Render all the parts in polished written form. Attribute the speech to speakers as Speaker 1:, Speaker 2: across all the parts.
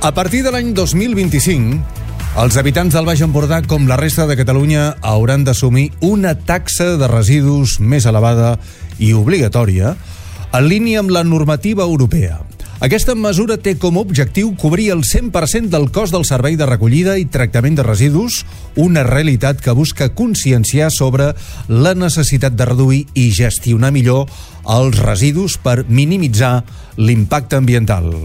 Speaker 1: A partir de l'any 2025, els habitants del Baix Empordà, com la resta de Catalunya, hauran d'assumir una taxa de residus més elevada i obligatòria, en línia amb la normativa europea. Aquesta mesura té com a objectiu cobrir el 100% del cost del servei de recollida i tractament de residus, una realitat que busca conscienciar sobre la necessitat de reduir i gestionar millor els residus per minimitzar l'impacte ambiental.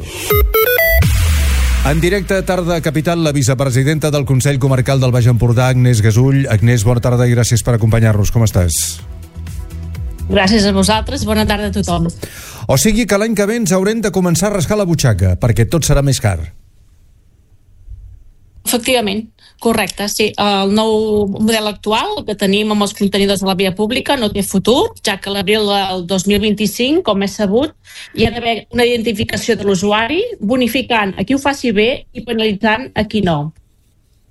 Speaker 1: En directe a Tarda Capital, la vicepresidenta del Consell Comarcal del Baix Empordà, Agnès Gasull. Agnès, bona tarda i gràcies per acompanyar-nos. Com estàs?
Speaker 2: Gràcies a vosaltres, bona tarda a tothom.
Speaker 1: O sigui que l'any que ve ens haurem de començar a rascar la butxaca, perquè tot serà més car.
Speaker 2: Efectivament, correcte, sí. El nou model actual que tenim amb els contenidors de la via pública no té futur, ja que a l'abril del 2025, com és sabut, hi ha d'haver una identificació de l'usuari, bonificant a qui ho faci bé i penalitzant a qui no.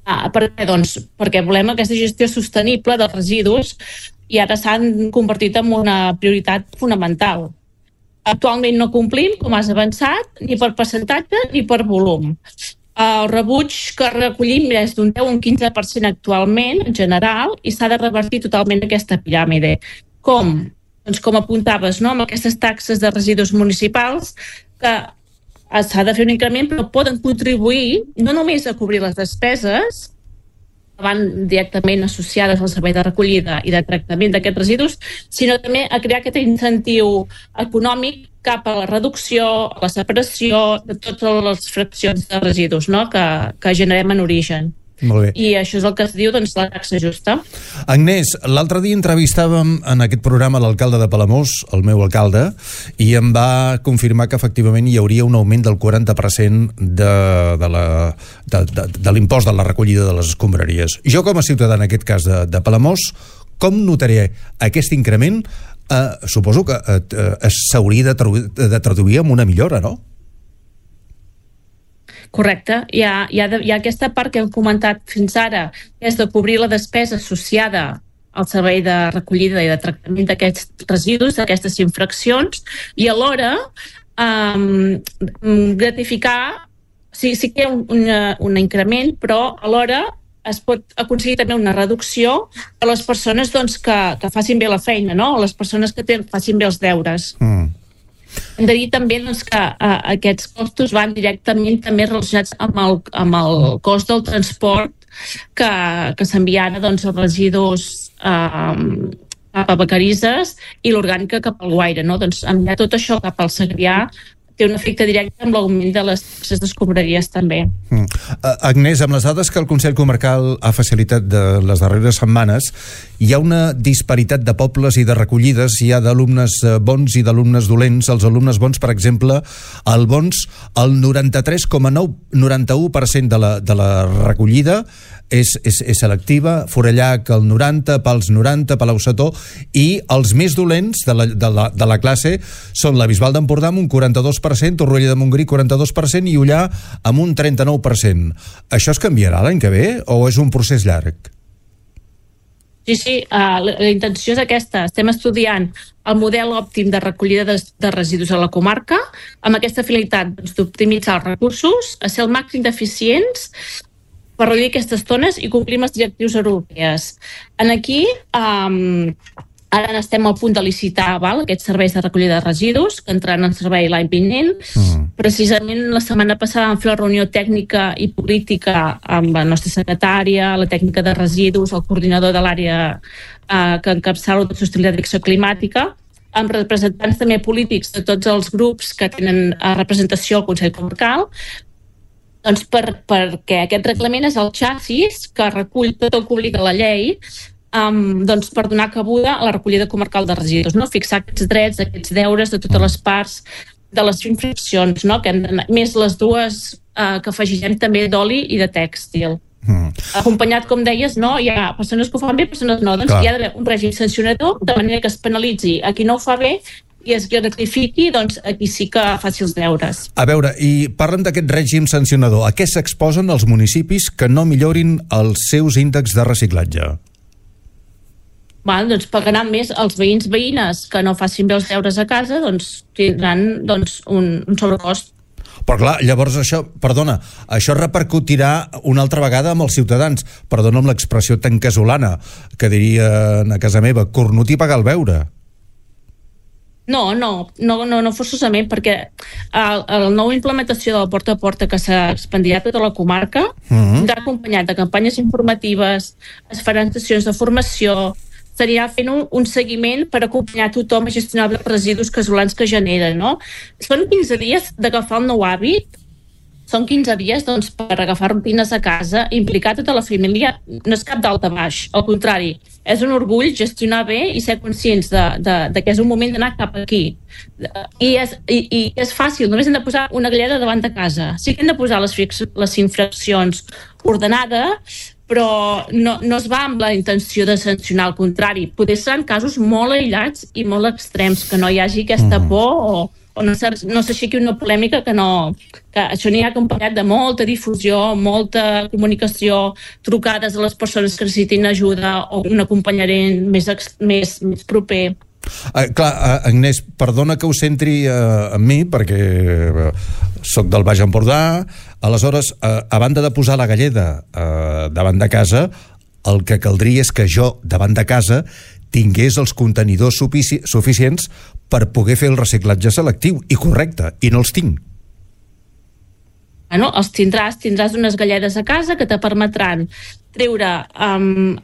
Speaker 2: Per què? Doncs perquè volem aquesta gestió sostenible dels residus i ara s'han convertit en una prioritat fonamental. Actualment no complim, com has avançat, ni per percentatge ni per volum. El rebuig que recollim és d'un 10 o un 15% actualment, en general, i s'ha de revertir totalment aquesta piràmide. Com? Doncs com apuntaves, no? Amb aquestes taxes de residus municipals que s'ha de fer un increment, però poden contribuir no només a cobrir les despeses que van directament associades al servei de recollida i de tractament d'aquests residus, sinó també a crear aquest incentiu econòmic cap a la reducció, a la separació de totes les fraccions de residus, no? que generem en origen.
Speaker 1: Molt bé.
Speaker 2: I això és el que es diu, doncs, la taxa justa.
Speaker 1: Agnès, l'altre dia entrevistàvem en aquest programa l'alcalde de Palamós, el meu alcalde, i em va confirmar que efectivament hi hauria un augment del 40% de l'impost de la recollida de les escombraries. Jo, com a ciutadà, en aquest cas de Palamós, com notaré aquest increment? Suposo que s'hauria de traduir en una millora, no?
Speaker 2: Correcte. Hi ha aquesta part que hem comentat fins ara, que és de cobrir la despesa associada al servei de recollida i de tractament d'aquests residus, d'aquestes infraccions, i alhora gratificar, sí que hi ha un increment, però alhora es pot aconseguir també una reducció a les persones doncs, que facin bé la feina, no? A les persones que facin bé els deures. Hem de dir també doncs, que aquests costos van directament també relacionats amb el cost del transport que s'enviarà doncs, els residus cap a Vacarisses i l'orgànica cap al Guaire. No? Doncs enviar tot això cap al Segrià té un efecte directe amb l'augment de les taxes d'escombraries també.
Speaker 1: Agnès, amb les dades que el Consell Comarcal ha facilitat de les darreres setmanes, hi ha una disparitat de pobles i de recollides. Hi ha d'alumnes bons i d'alumnes dolents. Els alumnes bons, per exemple, el 93,91% de la recollida és selectiva, Forallac el 90%, Pals 90%, Palau-Setó, i els més dolents de la classe són la Bisbal d'Empordà amb un 42%, Torroella de Montgrí 42% i Ullà amb un 39%. Això es canviarà l'any que ve o és un procés llarg?
Speaker 2: Sí, la intenció és aquesta. Estem estudiant el model òptim de recollida de residus a la comarca amb aquesta finalitat d'optimitzar els recursos, a ser el màxim d'eficients per reduir aquestes tones i complir amb les directrius europees. Aquí, ara estem al punt de licitar aquests serveis de recollida de residus que entraran en servei l'any vinent. Precisament la setmana passada vam fer una reunió tècnica i política amb la nostra secretària, la tècnica de residus, el coordinador de l'àrea que encapçala la sostenibilitat d'acció climàtica, amb representants també polítics de tots els grups que tenen representació al Consell Comarcal, doncs perquè aquest reglament és el xassis que recull tot el que obliga la llei doncs per donar cabuda a la recollida comarcal de residus, no? Fixar aquests drets, aquests deures de totes les parts de les infraccions, no? Que més les dues que afegirem també d'oli i de tèxtil. Acompanyat, com deies, no? Hi ha persones que ho fan bé, persones no. Doncs hi ha d'haver un règim sancionador de manera que es penalitzi a qui no ho fa bé i es gratifiqui, doncs aquí sí que faci els deures.
Speaker 1: A veure, i parlen d'aquest règim sancionador. A què s'exposen els municipis que no millorin els seus índexs de reciclatge?
Speaker 2: Doncs pagaran més els veïns-veïnes que no facin bé els deures a casa, doncs tindran un sobrecost.
Speaker 1: Però clar, llavors això repercutirà una altra vegada amb els ciutadans. Perdona amb l'expressió tan casolana, que dirien a casa meva, cornut i pagar el beure.
Speaker 2: No forçosament, perquè la nova implementació de la porta a porta que s'ha expandirà a tota la comarca vindrà acompanyat de campanyes informatives, es faran sessions de formació, estaria fent un seguiment per acompanyar tothom a gestionar els residus casolans que generen, no? Són 15 dies d'agafar el nou hàbit, són 15 dies doncs, per agafar rutines a casa, implicar tota la família, no és cap dalt a baix, al contrari, és un orgull gestionar bé i ser conscients de que és un moment d'anar cap aquí. I és fàcil, només hem de posar una galleda davant de casa. Sí que hem de posar les infraccions ordenades, però no es va amb la intenció de sancionar, al contrari. Potser seran casos molt aïllats i molt extrems, que no hi hagi aquesta por o no s'aixequi una polèmica que això n'hi ha acompanyat de molta difusió, molta comunicació, trucades a les persones que necessitin ajuda o un acompanyament més proper.
Speaker 1: Agnès, perdona que ho centri en mi, perquè soc del Baix Empordà. Aleshores, a banda de posar la galleda davant de casa, el que caldria és que jo, davant de casa, tingués els contenidors suficients per poder fer el reciclatge selectiu i correcte, i no els tinc.
Speaker 2: Els tindràs unes galledes a casa que te permetran treure en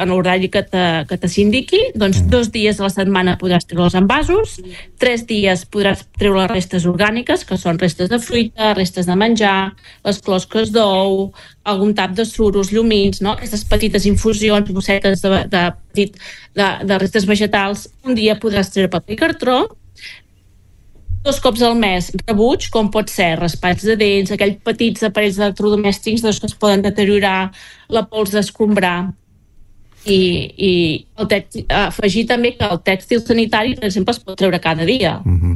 Speaker 2: l'horari que te s'indiqui, doncs 2 dies a la setmana podràs treure els envasos, 3 dies podràs treure les restes orgàniques, que són restes de fruita, restes de menjar, les closques d'ou, algun tap de suros, llumins, no? Aquestes petites infusions, bossetes de restes vegetals. Un dia podràs treure paper i cartró, 2 cops al mes rebuig, com pot ser raspats de dents, aquells petits aparells electrodomèstics que es poden deteriorar, la pols d'escombrar, i afegir també que el tèxtil sanitari, per exemple, es pot treure cada dia,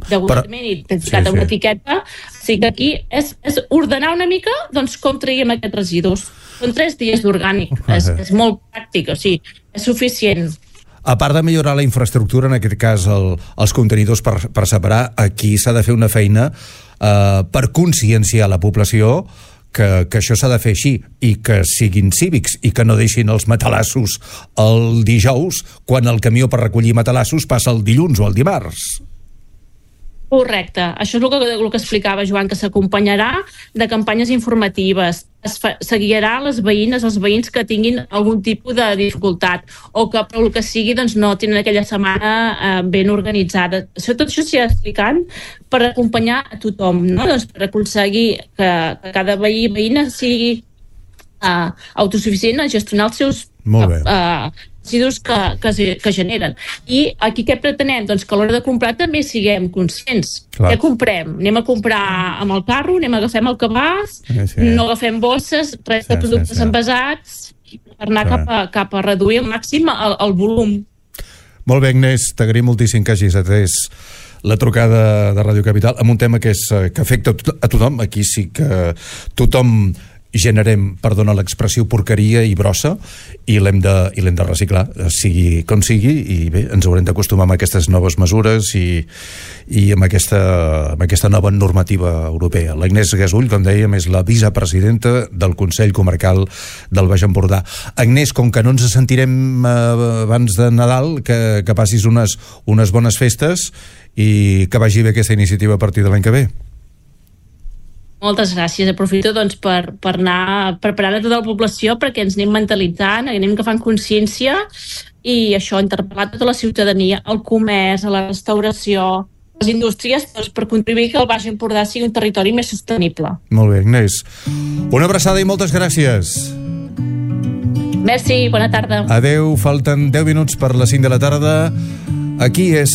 Speaker 2: degudament identificat amb una etiqueta. O sigui que aquí és ordenar una mica doncs, com traiem aquests residus. Són 3 dies d'orgànic, és molt pràctic, o sigui, és suficient.
Speaker 1: A part de millorar la infraestructura, en aquest cas els contenidors per separar, aquí s'ha de fer una feina per conscienciar la població que això s'ha de fer així i que siguin cívics i que no deixin els matalassos el dijous quan el camió per recollir matalassos passa el dilluns o el dimarts.
Speaker 2: Correcte, això és el que explicava Joan, que s'acompanyarà de campanyes informatives, se guiarà les veïnes, els veïns que tinguin algun tipus de dificultat o que per el que sigui doncs, no tenen aquella setmana ben organitzada. Tot això s'hi ha explicant per acompanyar a tothom, no? Doncs per aconseguir que cada veí i veïna sigui autosuficient a gestionar els seus residus que generen. I aquí què pretenem? Doncs que a l'hora de comprar també siguem conscients. Què comprem? Anem a comprar amb el carro, agafem el cabàs, no agafem bosses, res de productes envasats, per anar cap a reduir al màxim el volum.
Speaker 1: Molt bé, Agnès, t'agraïm moltíssim que hagis atès la trucada de Ràdio Capital amb un tema que afecta a tothom. Aquí sí que tothom generem, perdona l'expressió, porqueria i brossa, i l'hem de reciclar, sigui com sigui, i bé, ens haurem d'acostumar amb aquestes noves mesures i amb aquesta nova normativa europea. L'Agnès Gasull, com dèiem, és la vicepresidenta del Consell Comarcal del Baix Empordà. Agnès, com que no ens sentirem abans de Nadal, que passis unes bones festes i que vagi bé aquesta iniciativa a partir de l'any que ve.
Speaker 2: Moltes gràcies. Aprofito doncs, per anar preparant a tota la població perquè ens anem mentalitzant, anem agafant consciència i això, interpel·lar tota la ciutadania, el comerç, la restauració, les indústries, doncs, per contribuir que el Baix Empordà sigui un territori més sostenible.
Speaker 1: Molt bé, Agnès. Una abraçada i moltes gràcies.
Speaker 2: Merci, bona tarda.
Speaker 1: Adeu, falten 10 minuts per les 5 de la tarda. Aquí és